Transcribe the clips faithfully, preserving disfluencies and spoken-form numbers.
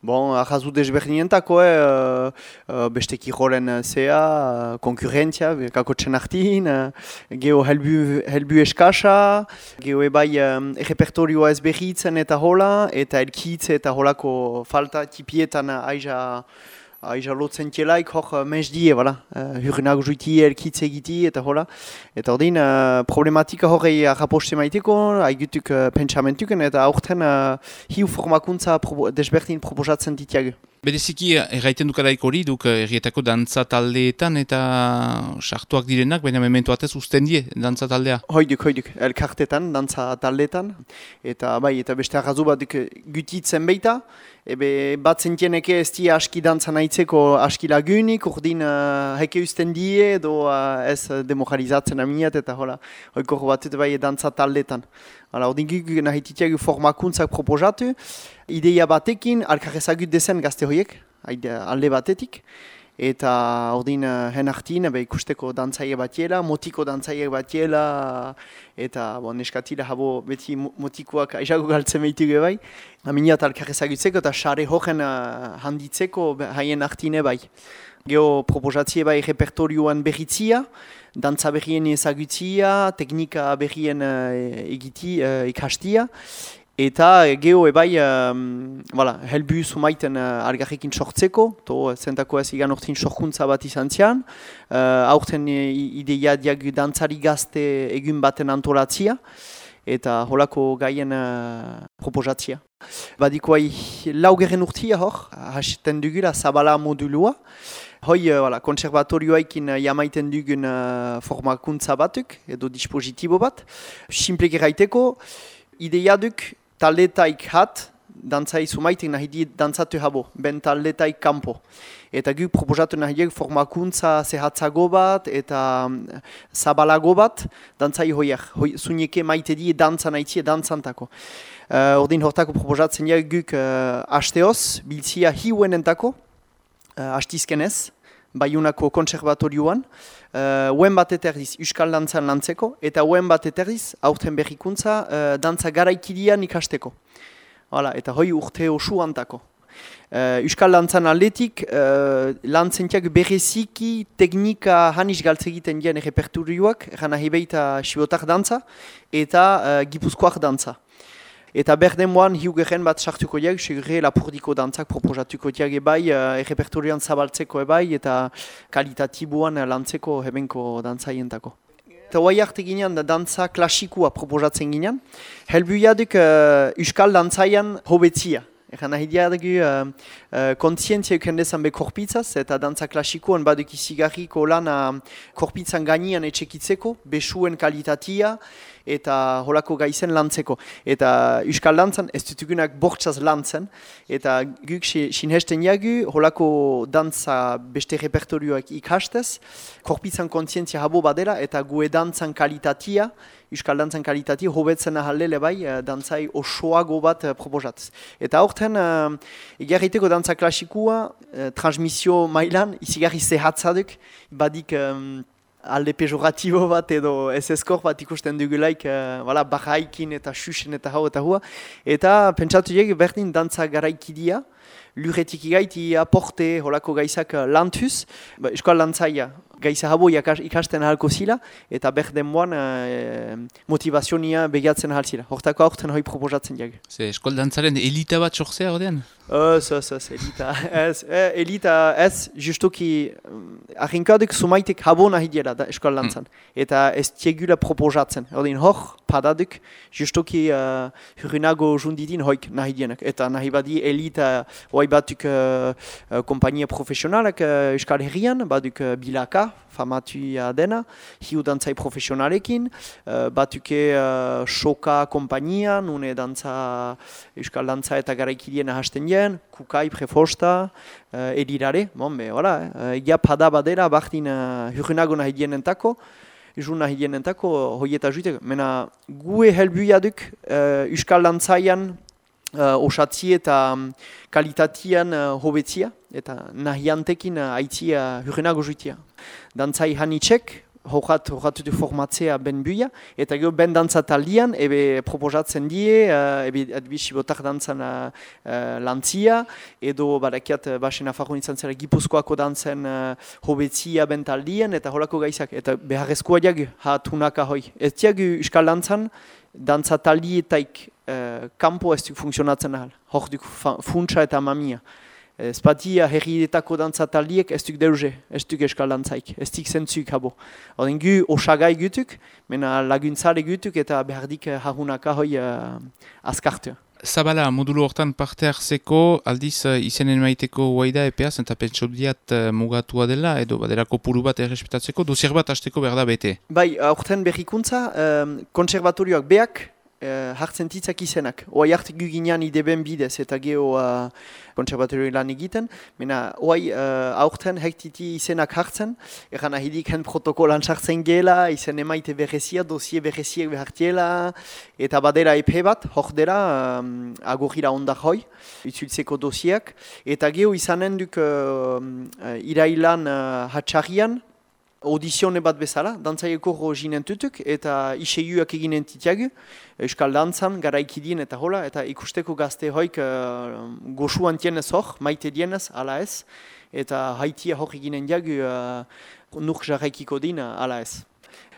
Bon, ahazu desberdinentako, eh, uh, beste kirolen zea, konkurrentzia, kakotzen artin, uh, geho helbu, helbu eskasa, geho ebai um, repertorioa ez behitzen eta hola, eta elkitze eta holako falta tipietan aiza aiza lotzen tielaik, hor mesdie, voilà, uh, hurrenak juiti elkitze egiti eta hola. Eta ordin, uh, problematika horrei raposte maiteko, haigutuk uh, pentsamentuken, eta aurten uh, hiu formakuntza propo, desberdin proposatzen ditiago. Bereziki, erraiten dukaraik hori, duk errietako dantza taldeetan eta sartuak direnak, baina memento batez usten die, dantza taldea? Hoiduk, hoiduk, elkartetan, dantza taldeetan, eta bai, eta beste arrazu bat gutitzen beita, ebe bat zentieneke ez die aski dantza nahitzeko aski lagunik, urdin uh, heke usten die, edo uh, ez demoralizatzen aminat, eta hola, hoiko batut bai dantza taldeetan. Hala, ordin guk nahititiagu formakuntzak proposatu, ideia batekin, alkarrezagut dezen gazte horiek, alde batetik, eta ordin uh, hen artin, be, ikusteko dantzaile batiela, motiko dantzaile batiela, eta bon, neskatila habo beti motikoak aizago galtzen behitugu bai, aminat alkarrezagutzeko eta xare horren uh, handitzeko haien artine bai. Geo proposatzie bai repertorioan berritzia, dantza berrien ezagutzia, teknika berrien uh, egiti, uh, ikastia, eta geho ebai um, voilà, helbu sumaiten uh, algarrekin sortzeko, to zentako ez igan ortin sorkuntza bat izan zian, uh, aurten ideia diagu dantzari gazte egun baten antolatzia, eta holako gaien uh, proposatzia. Badikoai laugerren urtia hor, hasiten dugula Zabala modulua, hoi uh, voilà, konservatorioaikin uh, jamaiten dugun uh, formakuntza batuk, edo dispositibo bat, simplek eraiteko, ideia duk taldetaik hat, dantzai sumaitek nahi di dantzatu habo, ben taldetaik kampo. Eta guk proposatu nahi diek formakuntza zehatzago bat eta um, zabalago bat, dantzai hoiak, hoi, zuneke maite die dantza nahi dantzantako. Uh, ordin hortako proposatzen diek guk uh, hasteoz, biltzia hiuenentako, uh, hastizkenez, Baiunako konservatorioan, uh, uen bat eterdiz Euskal dantzan lantzeko, eta uen bat eterdiz aurten berrikuntza uh, dantza garaikidian ikasteko. Hala, eta hoi urte osu antako. Uh, Euskal dantzan aldetik, uh, lantzentiak bereziki teknika hanis galtzegiten dien repertorioak, erana hebeita sibotak dantza, eta uh, gipuzkoak dantza. Eta berden moan hiugerren bat sartuko diag, segure lapurdiko dantzak proposatuko diag ebai, uh, repertorioan zabaltzeko ebai, eta kalitatiboan lantzeko hebenko dantzaientako. Eta hoai arte ginean da dantza klasikua proposatzen ginean, helbuiaduk uh, Euskal dantzaian hobetzia. Egan nahi diadugu uh, uh, kontzientzia ukendezan be korpitzaz, eta dantza klasikoan baduk izigarriko lan uh, korpitzan gainean etxekitzeko, besuen kalitatia, eta holako gaizen lantzeko. Eta Euskal dantzan ez dutugunak bortzaz lantzen, eta guk sinhesten jagu holako dantza beste repertorioak ikastez, korpitzan kontzientzia habo badela, eta gue dantzan kalitatia, Euskal dantzan kalitatia hobetzen ahaldele bai, dantzai osoago bat proposatz. Eta horten, uh, egarriteko dantza klasikua, uh, transmisio mailan, izigarri zehatzaduk, badik um, alde pejoratibo bat edo ez eskor bat ikusten dugulaik, uh, voilà, barraikin eta xuxen eta hau eta hua. Eta pentsatu jeg berdin dantza garaikidia, lurretik igaiti aporte holako gaizak lantuz, ba, Euskal dantzaia gaiza habo ikasten ahalko zila, eta berden moan e, motivazionia begiatzen ahal zila. Hortako aurten hoi proposatzen jag. Ze Euskal dantzaren elita bat sortzea ordean? Ez, ez, ez, elita. Ez, eh, elita ez, justuki arrinkadek sumaitek habo nahi diela da Euskal dantzan. Mm. Eta ez tiegula proposatzen. Ordin hor, padaduk, justuki uh, hurinago jundidin hoik nahi dienak. Eta nahi badi elita hoi batuk uh, uh, kompainia profesionalak uh, Euskal Herrian, baduk uh, bilaka, famatua dena, hiu dantzai profesionalekin, uh, batuke uh, Soka kompainia, nune dantza, Euskal dantza eta garaikidien hasten dien, Kukai, Prefosta, uh, Edirare, bon, be, hola, uh, egia pada badera, bardin uh, hurrenago nahi dienentako, jun nahi dienentako, hoieta juitek, mena gue helbuiaduk uh, Euskal dantzaian uh, osatzi eta um, kalitatian uh, hobetzia, eta nahiantekin uh, aitzia hurrenago juitia. Dantzai hanitzek, horat, horatu du formatzea ben buia, eta gero ben dantza taldian, ebe proposatzen die, uh, ebe adibisi botak dantzan uh, uh, lantzia, edo badakiat uh, basen afarron izan zera Gipuzkoako dantzen uh, hobetzia ben taldian, eta holako gaizak, eta beharrezkoa diagu, ha tunaka hoi. Ez diagu euskal dantzan, dantza taldietaik uh, kampo ez duk funtzionatzen ahal, hor duk funtsa eta mamia. Ez batia herrietako dantza taldiek ez duk deuze, ez duk euskal dantzaik, ez dik zentzuk habo. Oden gu osagai gutuk, mena laguntzale gutuk eta behardik harunaka hoi uh, azkartu. Zabala, modulu hortan parte hartzeko, aldiz uh, izenen maiteko guaida epeaz, eta pentsau diat uh, mugatua dela, edo badera kopuru bat errespetatzeko, dosier bat hasteko behar da bete. Bai, aurten berrikuntza, um, konservatorioak beak, Uh, hartzen titzak izenak. Oai hartik guginean ideben bidez eta geho uh, konservatorioi lan egiten. Mena, oai uh, aurten hektiti izenak hartzen, eran ahidik hen protokolan sartzen gela, izen emaite berrezia, dosie berreziek behartiela, eta badera epe bat, hor dela, um, agorira ondar hoi, itzultzeko dosiak. Eta geho izanen duk uh, uh, irailan uh, hatxarrian, audizione bat bezala, dantzaieko ginen tutuk, eta iseiuak eginen titiagu, euskal dantzan, garaikidien eta hola, eta ikusteko gazte hoik uh, goxuan tienez hor, maite dienez, ala ez, eta haitia hor eginen diagu uh, nuk jarraikiko din, ala ez.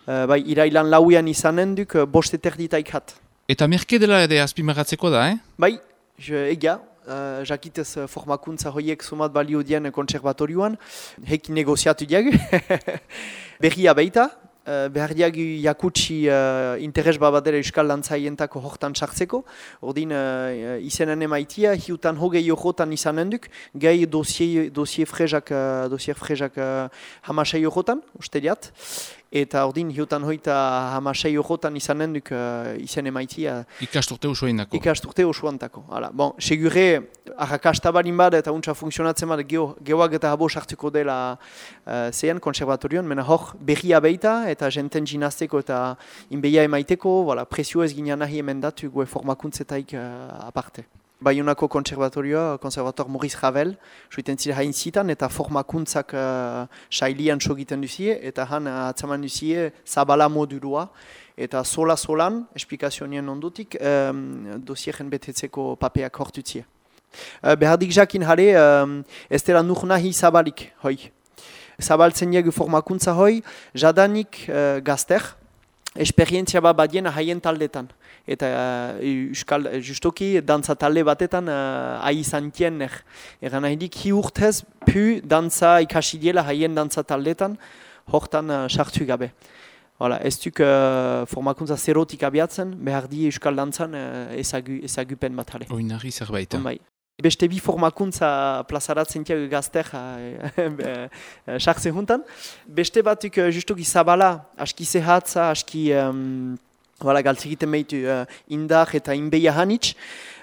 Uh, bai, irailan lauian izanen duk, uh, boste terditaik hat. Eta merke dela ere azpimagatzeko da, eh? Bai, egia. Uh, jakitez uh, formakuntza hoiek somat balio dien konservatorioan, heki negoziatu diagu, berria baita, uh, behar diagu jakutsi uh, interes babadera euskal dantzaientako hortan sartzeko, ordin uh, izenen emaitia, hiutan hogei jokotan izanen duk, gai dosie, dosie frezak, uh, dosier frezak uh, hamasei jokotan, uste diat, eta ordin hiutan hoita hamasei jokotan izanen duk uh, izen emaitia. Ikasturte osoendako. Ikasturte osoantako. Bon, segure, arrakastabarin bada eta untsa funtzionatzen bada geoak eta habo sartuko dela uh, zean konservatorion, mena hor berria beita eta jenten ginazteko eta inbeia emaiteko, voilà, presio ez ginean nahi emendatu gue formakuntzetaik uh, aparte. Baionako konservatorioa, konservator Maurice Ravel, joiten zira hain zitan eta formakuntzak uh, sailian sogiten duzie, eta han uh, atzaman duzie zabala modulua, eta sola-solan, esplikazionien ondutik, um, dosieren betetzeko papeak hortutzia. Uh, behardik jakin jare, um, ez dela nur nahi zabalik, hoi. Zabaltzen diegu formakuntza hoi, jadanik uh, gazter, esperientzia bat badien haien taldetan. Eta uh, euskal, justoki dantza talde batetan uh, ahi zantien ner. Egan nahi dik, hi urtez pu dantza ikasi diela haien dantza taldetan, hortan uh, sartu gabe. Voilà, ez duk uh, formakuntza zerotik abiatzen, behar di euskal dantzan uh, ezagu, ezagupen bat jale. Oinarri zerbait. Bai. Beste bi formakuntza plazaratzen tiago gazter sartze juntan. Beste batuk uh, justoki zabala, aski zehatza, aski... Um, Voilà, galtzegiten meitu uh, indar eta inbeia hanitz.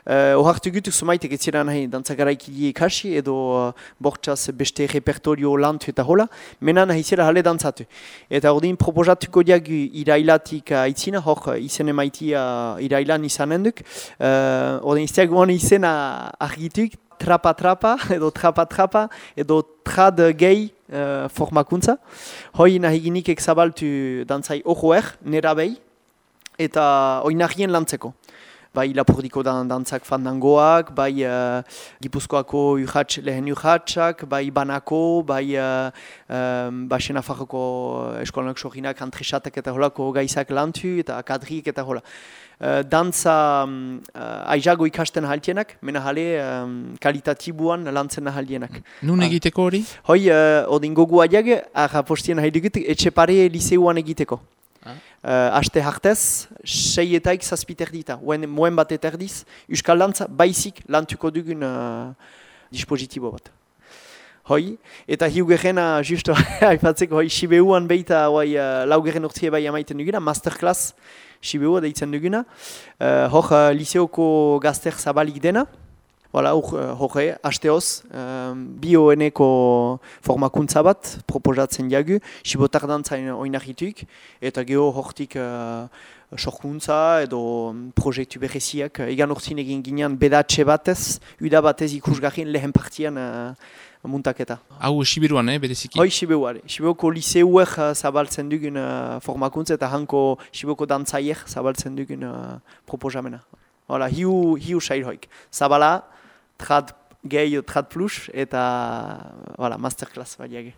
Uh, Ohartu gutuk sumaitek ez ziren nahi dantzagaraikidie ikasi edo uh, bortxaz beste repertorio lantu eta hola. Mena nahi zera jale dantzatu. Eta ordin proposatuko diagu irailatik aitzina, hor izen emaitia irailan izanen duk. Uh, ordin izteak guan izena argituk, trapa-trapa edo trapa-trapa edo trad gehi uh, formakuntza. Hoi nahi ginikek zabaltu dantzai ohoer, nera behi. Eta oinarrien lantzeko. Bai Lapurdiko dan, dantzak fandangoak, bai uh, Gipuzkoako urratx, lehen urratxak, bai Banako, bai uh, um, Basen Afarroko eskolanak soginak, antresatak eta holako gaizak lantu eta kadriek eta hola. Uh, dantza um, uh, aizago ikasten haltienak, mena jale um, kalitatibuan lantzen haltienak. Nun egiteko hori? Hoi, uh, odin gogu adiag, arra postien haidugutik, etxepare liseuan egiteko. Uh, aste hartez, sei etaik zazpiter dita, moen bat eterdiz, euskal dantza baizik lantuko dugun uh, dispositibo bat. Hoi, eta hiugerrena justo haipatzeko hoi Sibeuan beita hoi uh, laugerren urtzie bai amaiten duguna, masterclass Sibeua deitzen duguna, uh, hor uh, liseoko gazter zabalik dena. Voilà, horre, hasteoz, um, bioeneko formakuntza bat proposatzen jagu, sibotar dantzain oinarrituik, eta geho hortik uh, sorkuntza edo proiektu bereziak. Egan urtzin egin ginean bedatxe batez, uda batez ikusgarrien lehen partian uh, muntaketa. Hau Sibiruan, eh, bereziki? Hoi Sibiruan. Sibiruko liseuek uh, zabaltzen dugun uh, formakuntza eta hanko Sibiruko dantzaiek zabaltzen dugun uh, proposamena. Hola, hiu, hiu sail hoik. Zabala, trad gehi, trad plus, eta voilà, masterclass badiage.